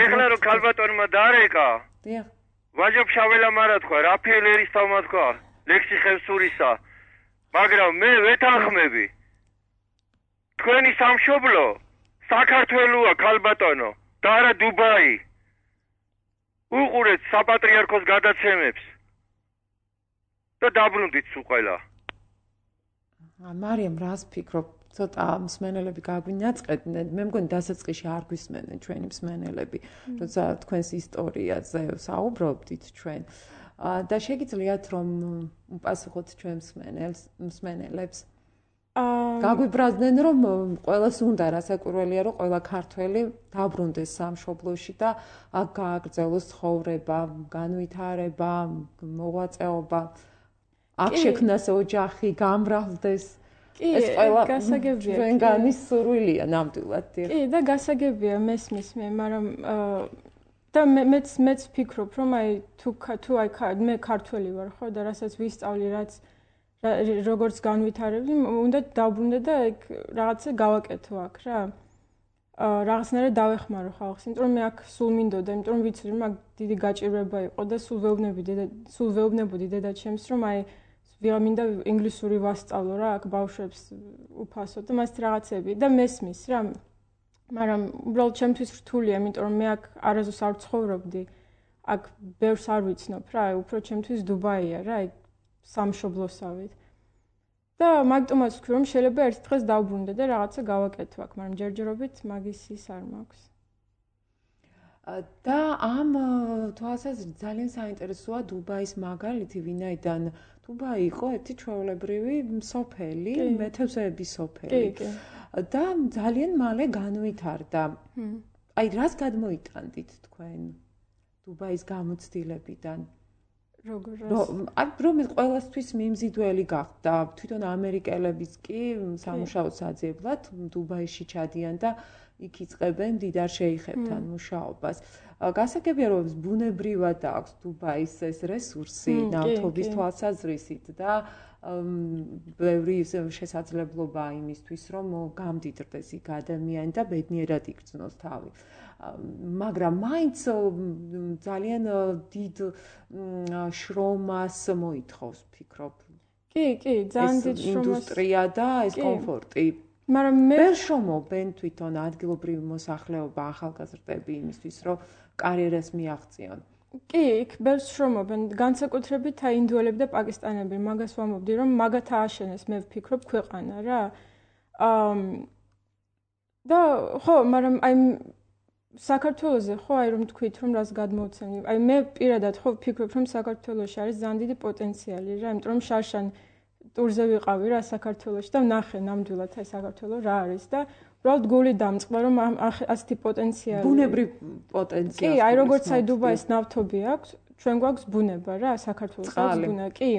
ეხლა რომ ქალბატონმა დარეკა. დიახ. ვაჟა-ფშაველა მარა თქვა, რაფაელ ერისთავმა თქვა, ლექსი ხევსურისა. მაგრამ მე ვეთანხმები. თქვენი სამშობლო საქართველოა ქალბატონო და არა დუბაი. უყურეთ საპატრიარქოს გადაცემებს და დაბრუნდით სულ ყველა. მარიამ, რას ფიქრობ? ცოტა მსმენელები გაგვინაწყედნენ. მე მგონი დასაწყისში არ გვისმენენ ჩვენი მსმენელები, როცა თქვენს ისტორიაზე საუბრობდით ჩვენ. და შეგიძლიათ რომ უპასუხოთ ჩვენ მსმენელებს? გაგვიბრაზდნენ რომ ყველას უნდა რასაკვირველია რომ ყველა ქართველი დაბრუნდეს სამშობლოში და აქ გააგრძელოს ცხოვრება, განვითარება, მოღვაწეობა. აქ შექმნას ოჯახი, გამრავლდეს. ეს ყველა გასაგებია. ჩვენგანის სურვილია ნამდვილად. კი, და გასაგებია მესმის მე, მაგრამ და მეც ფიქრობ, რომ აი თუ მე ქართველი ვარ, ხო, და რასაც ვისწავლი, რაც როგორც განვითარები, უნდა დავბრუნდე და ეგ რაღაცა გავაკეთო აქ რა. რაღაცნაირად დავეხმარო ხალხს, იმიტომ რომ მე აქ სულ მინდოდა, იმიტომ რომ ვიცი რომ აქ დიდი გაჭირვება იყო და სულ ვეუბნებოდი დედაჩემს, რომ აი მინდა ინგლისური ვასწავლო რა, აქ ბავშვებს უფასოდ და მასეთ რაღაცები და მესმის რა. მაგრამ უბრალოდ ჩემთვის რთულია, იმიტომ რომ მე აქ არასდროს არ ცხოვრობდი. აქ ბევრს არ ვიცნობ რა, უფრო ჩემთვის დუბაია რა, აი სამშობლოსავით. და მაგიტომაც ვქვი, რომ შეიძლება ერთ დღეს დავბრუნდე და რაღაცა გავაკეთო აქ, მაგრამ ჯერჯერობით მაგის ის არ მაქვს. და ამ თვალსაზრისით ძალიან საინტერესოა დუბაის მაგალითი, ვინაიდან დუბაი იყო ერთი ჩვეულებრივი სოფელი, მეთევზეების სოფელი. და ძალიან მალე განვითარდა. აი, რას გადმოიტანდით თქვენ დუბაის გამოცდილებიდან? რომ ყველასთვის მიმზიდველი გახდა, თვითონ ამერიკელებიც კი სამუშაოს აძიებლად დუბაიში ჩადიან და იქ იწყებენ დიდარ შეიხებთან მუშაობას. გასაგებია რომ ბუნებრივად აქვს დუბაის ეს რესურსი ნავთობის თვალსაზრისით და ბევრი შესაძლებლობა იმისთვის რომ გამდიდრდეს იქ ადამიანი და ბედნიერად იგრძნოს თავი. მაგრამ მაინც ძალიან დიდ შრომას მოითხოვს, ფიქრობ. კი, ძალიან დიდ შრომას. ინდუსტრია და ეს კომფორტი. მაგრამ მე ვერ შრომობენ თვითონ ადგილობრივი მოსახლეობა, ახალგაზრდები იმისთვის, რომ კარიერას მიაღწიონ. კი, იქ ბევრს შრომობენ, განსაკუთრებით აი ინდუელები და პაკისტანელები, მაგას ვამბობდი, რომ მაგათ ააშენეს, მე ვფიქრობ, ქვეყანა რა. და ხო, მაგრამ აი საქართველოზე ხო აი რომ თქვით რომ რას გადმოვცემი. აი მე პირადად ხო ვფიქრობ რომ საქართველოში არის ძალიან დიდი პოტენციალი რა, იმიტომ რომ შარშან ტურზე ვიყავი რა საქართველოში და ვნახე ნამდვილად აი საქართველო რა არის და უბრალოდ გული დამწყდა რომ ასეთი პოტენციალი. ბუნებრივ პოტენციალი. კი, აი როგორც აი დუბაის ნავთობი აქვს, ჩვენ გვაქვს ბუნება რა, საქართველოს აქვს ბუნება, კი.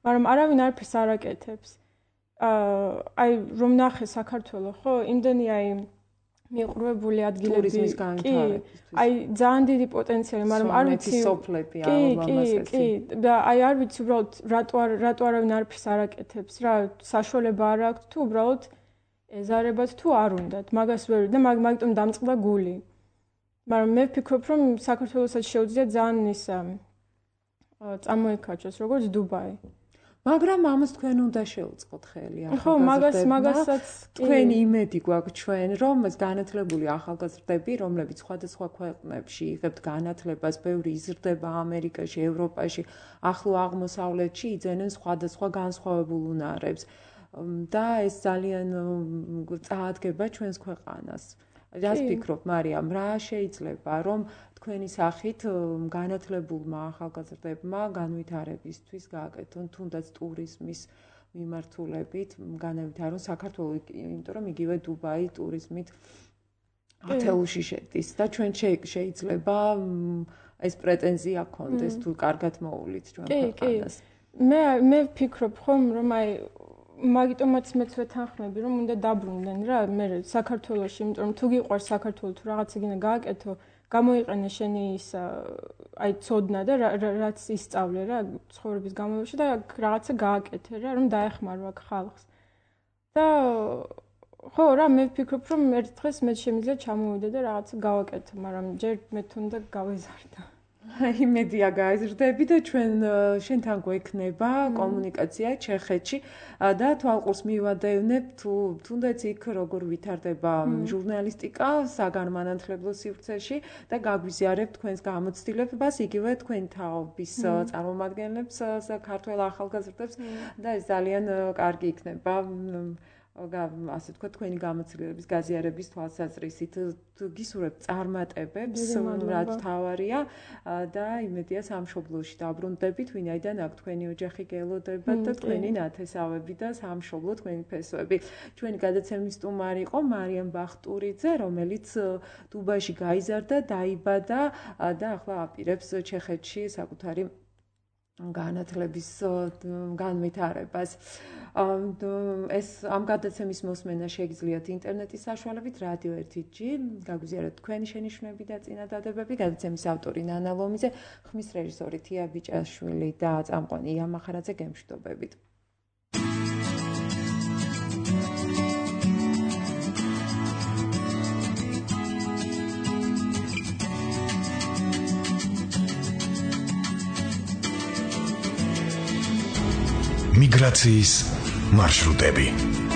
მაგრამ არავინ არაფერს არ აკეთებს. აი რომ ვნახე საქართველო ხო, იმდენი აი მიყრუებული ადგილები, კი, აი ძალიან დიდი პოტენციალი, მაგრამ არ ვიცი სოფლები ამასეთი. კი, და აი არ ვიცი უბრალოდ რატო არავინ არაფერს არ აკეთებს რა, საშუალება არ აქვს თუ უბრალოდ ეზარებათ თუ არ უნდათ, მაგას ვერ და მაგიტომ დამწყდა გული. მაგრამ მე ვფიქრობ რომ საქართველოსაც შეუძლია ძალიან ისა წამოიკაჩოს როგორც დუბაი. მაგრამ ამას თქვენ უნდა შეუწყოთ ხელი ახალგაზრდებმა. ხო, მაგასაც თქვენი იმედი გვაქვს ჩვენ, რომ ეს განათლებული ახალგაზრდები, რომლებიც სხვადასხვა ქვეყნებში იღებთ განათლებას, ბევრი იზრდება ამერიკაში, ევროპაში, ახლო აღმოსავლეთში იძენენ სხვადასხვა განსხვავებულ უნარებს. და ეს ძალიან წაადგება ჩვენს ქვეყანას. რას ფიქრობ, მარიამ, რა შეიძლება რომ თქვენი სახით განათლებულმა ახალგაზრდებმა განვითარებისთვის გააკეთონ თუნდაც ტურიზმის მიმართულებით განავითარონ საქართველოს, იმიტომ რომ იგივე დუბაი ტურიზმით ათეულში შედის და ჩვენ შეიძლება ეს პრეტენზია გქონდეს თუ კარგად მოულით ჩვენ ქვეყანას. მე ვფიქრობ ხომ რომ აი მაგიტომაც მეც ვეთანხმები რომ უნდა დაბრუნდნენ რა მე საქართველოში, იმიტომ რომ თუ გიყვარს საქართველო თუ რაღაც იგინა გააკეთო, გამოიყენე შენი ის აი ცოდნა და რაც ისწავლე რა ცხოვრების განმავლობაში და რაღაცა გააკეთე რა რომ დაეხმარო აქ ხალხს. და ხო რა მე ვფიქრობ რომ ერთ დღეს მე შემიძლია ჩამოვიდე და რაღაცა გავაკეთე, მაგრამ ჯერ მე თუნდა გავეზარდა. იმედია გაიზრდები და ჩვენ შენთან გვექნება კომუნიკაცია ჩეხეთში და თვალყურს მივადევნებ თუ თუნდაც იქ როგორ ვითარდება ჟურნალისტიკა საგანმანათლებლო სივრცეში და გაგვიზიარებ თქვენს გამოცდილებას, იგივე თქვენ თაობის წარმომადგენლებს, საქართველოს ახალგაზრდებს და ეს ძალიან კარგი იქნება. ასე თქვა თქვენი გამოცდილების გაზიარების თვალსაზრისით გისურვებთ წარმატებებს, რაც თავარია და იმედია სამშობლოში დაბრუნდებით, ვინაიდან აქ თქვენი ოჯახი გელოდებათ და თქვენი ნათესავები და სამშობლო თქვენი ფესვები. ჩვენი გადაცემის სტუმარი იყო მარიამ ბახტურიძე, რომელიც დუბაიში გაიზარდა, დაიბადა და ახლა აპირებს ჩეხეთში საკუთარი განათლების განვითარებას. ეს ამ გადაცემის მოსმენა შეგიძლიათ ინტერნეტის საშუალებით რადიო 1G, გაგვიზიარეთ თქვენი შენიშვნები და წინადადებები. გადაცემის ავტორი ნანა ლომიძე, ხმის რეჟისორი თია ბიჭაშვილი და წამყვანი ია მახარაძე, გემშვიდობებით. მიგრაციის მარშრუტები